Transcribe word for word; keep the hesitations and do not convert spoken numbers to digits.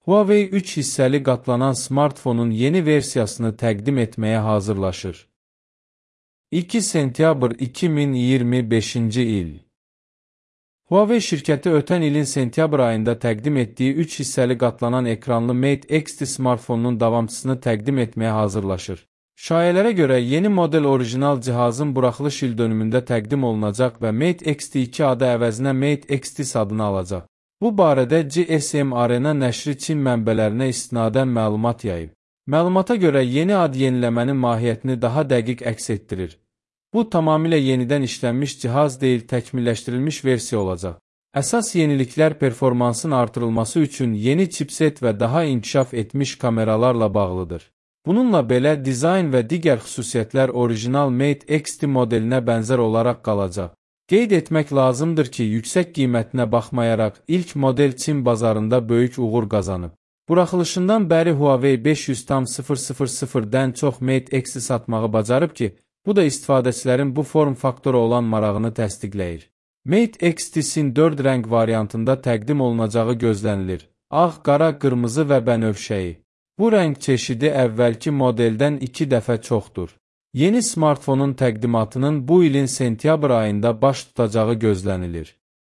Huawei üç hissəli qatlanan smartfonun yeni versiyasını təqdim etməyə hazırlaşır. iki sentyabr iki min iyirmi beşinci il. Huawei şirkəti ötən ilin sentyabr ayında təqdim etdiyi üç hissəli qatlanan ekranlı Mate X T smartfonunun davamçısını təqdim etməyə hazırlaşır. Şayələrə görə yeni model orijinal cihazın buraxılış ildönümündə təqdim olunacaq və Mate X T iki adı əvəzinə Mate X T adını alacaq. Bu barədə G S M Arena nəşri Çin mənbələrinə istinadən məlumat yayıb. Məlumata görə yeni ad yeniləmənin mahiyyətini daha dəqiq əks etdirir. Bu tamamilə yenidən işlənmiş cihaz deyil, təkmilləşdirilmiş versiya olacaq. Əsas yeniliklər performansın artırılması üçün yeni chipset və daha inkişaf etmiş kameralarla bağlıdır. Bununla belə dizayn və digər xüsusiyyətlər orijinal Mate X T modelinə bənzər olaraq qalacaq. Qeyd etmək lazımdır ki, yüksək qiymətinə baxmayaraq ilk model Çin bazarında böyük uğur qazanıb. Buraxılışından bəri Huawei beş yüz min çox Mate X T satmağı bacarıb ki, bu da istifadəçilərin bu form faktoru olan marağını təsdiqləyir. Mate X T-sin dörd rəng variantında təqdim olunacağı gözlənilir. Ağ, qara, qırmızı və bənövşəyi. Bu rəng çeşidi əvvəlki modeldən iki dəfə çoxdur. Yeni smartfonun təqdimatının bu ilin sentyabr ayında baş tutacağı gözlənilir.